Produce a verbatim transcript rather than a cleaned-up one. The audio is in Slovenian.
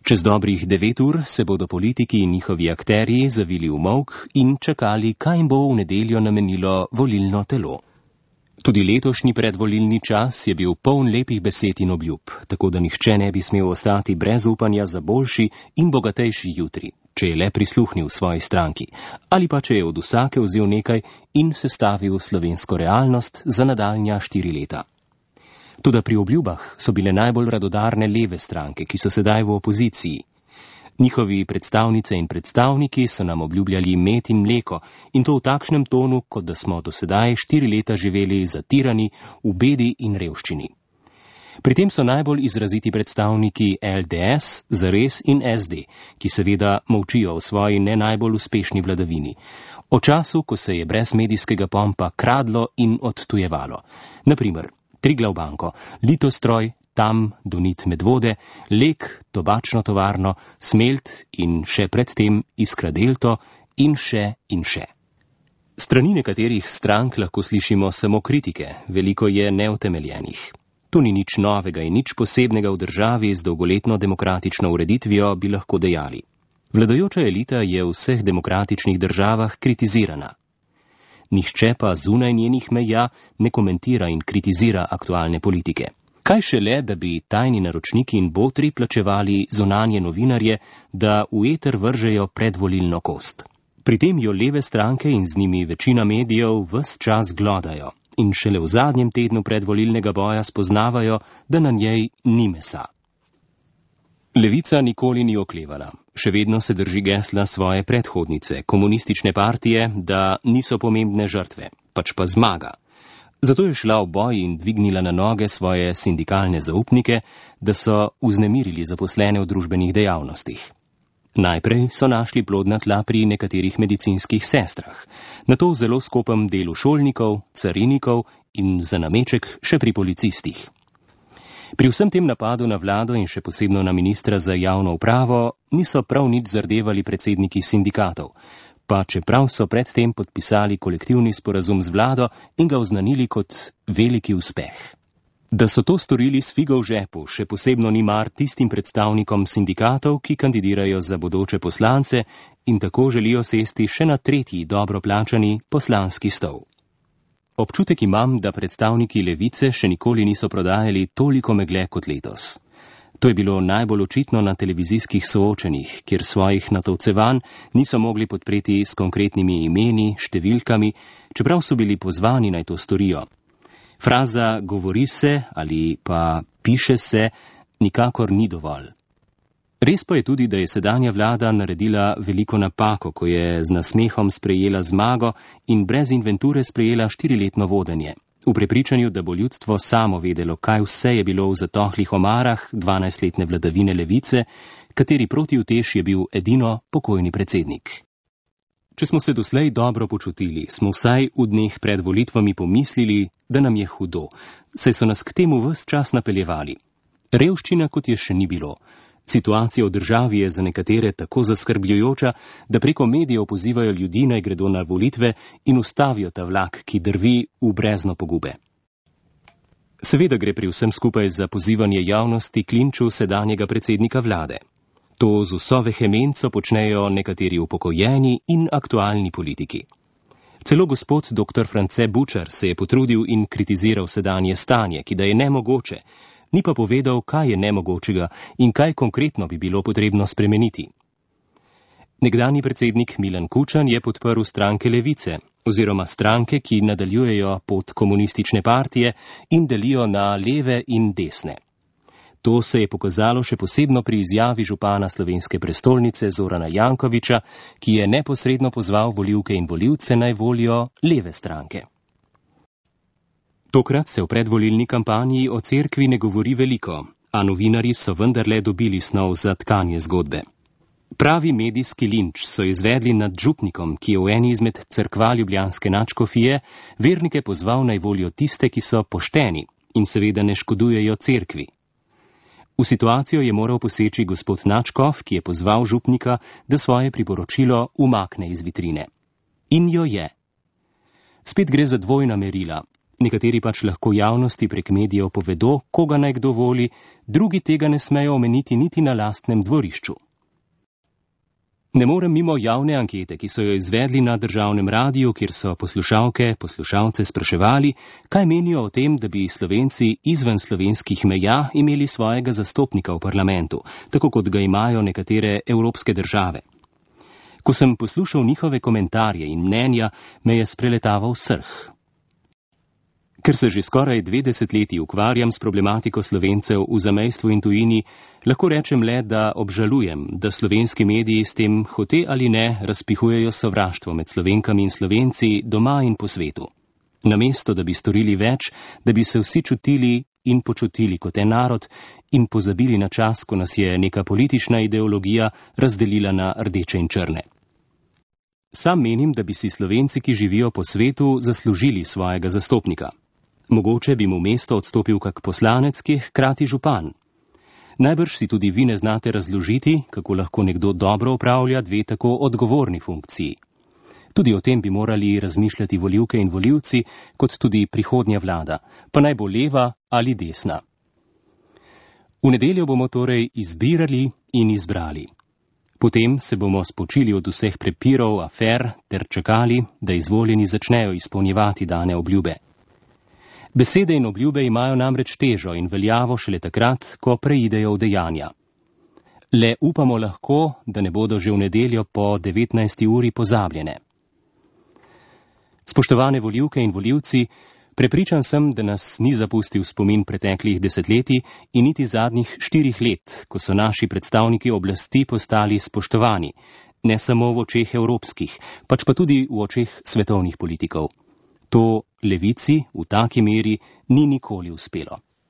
Čez dobrih devet ur se bodo politiki in njihovi akterji zavili v molk in čakali, kaj jim bo v nedeljo namenilo volilno telo. Tudi letošnji predvolilni čas je bil poln lepih besed in obljub, tako da nihče ne bi smel ostati brez upanja za boljši in bogatejši jutri, če je le prisluhnil svoji stranki, ali pa če je od vsake vzel nekaj in sestavil slovensko realnost za nadaljnja štiri leta. Toda pri obljubah so bile najbolj radodarne leve stranke, ki so sedaj v opoziciji. Njihovi predstavnice in predstavniki so nam obljubljali med in mleko in to v takšnem tonu, kot da smo do sedaj štiri leta živeli zatirani v bedi in revščini. Pri tem so najbolj izraziti predstavniki L D S, Zares in S D, ki seveda molčijo o svoji ne najbolj uspešni vladavini. O času, ko se je brez medijskega pompa kradlo in odtujevalo. Naprimer, Triglav banko, Litostroj, Tam, Donit Medvode, Lek, tobačno tovarno, Smelt in še predtem Iskra Delto in še in še. Strani nekaterih strank lahko slišimo samo kritike, veliko je neutemeljenih. To ni nič novega in nič posebnega v državi z dolgoletno demokratično ureditvijo, bi lahko dejali. Vladajoča elita je v vseh demokratičnih državah kritizirana. Nihče pa zunaj njenih meja ne komentira in kritizira aktualne politike. Kaj šele, da bi tajni naročniki in botri plačevali zunanje novinarje, da v eter vržejo predvolilno kost. Pri tem jo leve stranke in z njimi večina medijev ves čas glodajo in šele v zadnjem tednu predvolilnega boja spoznavajo, da na njej ni mesa. Levica nikoli ni oklevala. Še vedno se drži gesla svoje predhodnice, komunistične partije, da niso pomembne žrtve, pač pa zmaga. Zato je šla v boj in dvignila na noge svoje sindikalne zaupnike, da so vznemirili zaposlene v družbenih dejavnostih. Najprej so našli plodna tla pri nekaterih medicinskih sestrah, nato v zelo skopem delu šolnikov, carinikov in za nameček še pri policistih. Pri vsem tem napadu na vlado in še posebno na ministra za javno upravo niso prav nič zardevali predsedniki sindikatov, pa čeprav so predtem podpisali kolektivni sporazum z vlado in ga oznanili kot veliki uspeh. Da so to storili s figo v žepu, še posebno ni mar tistim predstavnikom sindikatov, ki kandidirajo za bodoče poslance in tako želijo sesti še na tretji dobro plačani poslanski stol. Občutek imam, da predstavniki levice še nikoli niso prodajali toliko megle kot letos. To je bilo najbolj očitno na televizijskih soočenjih, kjer svojih natovcevanj niso mogli podpreti s konkretnimi imeni, številkami, čeprav so bili pozvani naj to storijo. Fraza govori se ali pa piše se nikakor ni dovolj. Res pa je tudi, da je sedanja vlada naredila veliko napako, ko je z nasmehom sprejela zmago in brez inventure sprejela štiriletno vodenje. V prepričanju, da bo ljudstvo samo vedelo, kaj vse je bilo v zatohlih omarah dvanajstletne vladavine levice, kateri protiutež je bil edino pokojni predsednik. Če smo se doslej dobro počutili, smo vsaj v dneh pred volitvami pomislili, da nam je hudo, saj so nas k temu ves čas napeljevali. Revščina kot je še ni bilo. Situacija v državi je za nekatere tako zaskrbljujoča, da preko medijev pozivajo ljudi naj gredo na volitve in ustavijo ta vlak, ki drvi v brezno pogube. Seveda gre pri vsem skupaj za pozivanje javnosti k linču sedanjega predsednika vlade. To z vso vehemenco počnejo nekateri upokojeni in aktualni politiki. Celo gospod doktor France Bučar se je potrudil in kritiziral sedanje stanje, ki da je nemogoče, ni pa povedal, kaj je nemogočega in kaj konkretno bi bilo potrebno spremeniti. Nekdanji predsednik Milan Kučan je podprl stranke levice, oziroma stranke, ki nadaljujejo pot komunistične partije in delijo na leve in desne. To se je pokazalo še posebno pri izjavi župana slovenske prestolnice Zorana Jankovića, ki je neposredno pozval volivke in volivce naj volijo leve stranke. Tokrat se v predvolilni kampanji o cerkvi ne govori veliko, a novinarji so vendarle dobili snov za tkanje zgodbe. Pravi medijski linč so izvedli nad župnikom, ki je v eni izmed cerkva ljubljanske nadškofije vernike pozval naj volijo tiste, ki so pošteni in seveda ne škodujejo cerkvi. V situacijo je moral poseči gospod nadškof, ki je pozval župnika, da svoje priporočilo umakne iz vitrine. In jo je. Spet gre za dvojna merila. Nekateri pač lahko javnosti prek medijev povedo, koga naj kdo voli, drugi tega ne smejo omeniti niti na lastnem dvorišču. Ne morem mimo javne ankete, ki so jo izvedli na državnem radiju, kjer so poslušalke, poslušalce spraševali, kaj menijo o tem, da bi Slovenci izven slovenskih meja imeli svojega zastopnika v parlamentu, tako kot ga imajo nekatere evropske države. Ko sem poslušal njihove komentarje in mnenja, me je spreletaval srh. Ker se že skoraj dve desetletji ukvarjam s problematiko Slovencev v zamejstvu in tujini, lahko rečem le, da obžalujem, da slovenski mediji s tem hote ali ne razpihujejo sovraštvo med Slovenkami in Slovenci doma in po svetu. Namesto, da bi storili več, da bi se vsi čutili in počutili kot en narod in pozabili na čas, ko nas je neka politična ideologija razdelila na rdeče in črne. Sam menim, da bi si Slovenci, ki živijo po svetu, zaslužili svojega zastopnika. Mogoče bi mu mesto odstopil kak poslanec, ki je hkrati župan. Najbrž si tudi vi ne znate razložiti, kako lahko nekdo dobro opravlja dve tako odgovorni funkciji. Tudi o tem bi morali razmišljati volivke in volivci, kot tudi prihodnja vlada, pa naj bo leva ali desna. V nedeljo bomo torej izbirali in izbrali. Potem se bomo spočili od vseh prepirov, afer ter čakali, da izvoljeni začnejo izpolnjevati dane obljube. Besede in obljube imajo namreč težo in veljavo šele takrat, ko preidejo v dejanja. Le upamo lahko, da ne bodo že v nedeljo po devetnajsti uri pozabljene. Spoštovane volivke in volivci, prepričan sem, da nas ni zapustil spomin preteklih desetletij in niti zadnjih štirih let, ko so naši predstavniki oblasti postali spoštovani, ne samo v očeh evropskih, pač pa tudi v očeh svetovnih politikov. To levici v taki meri ni nikoli uspelo.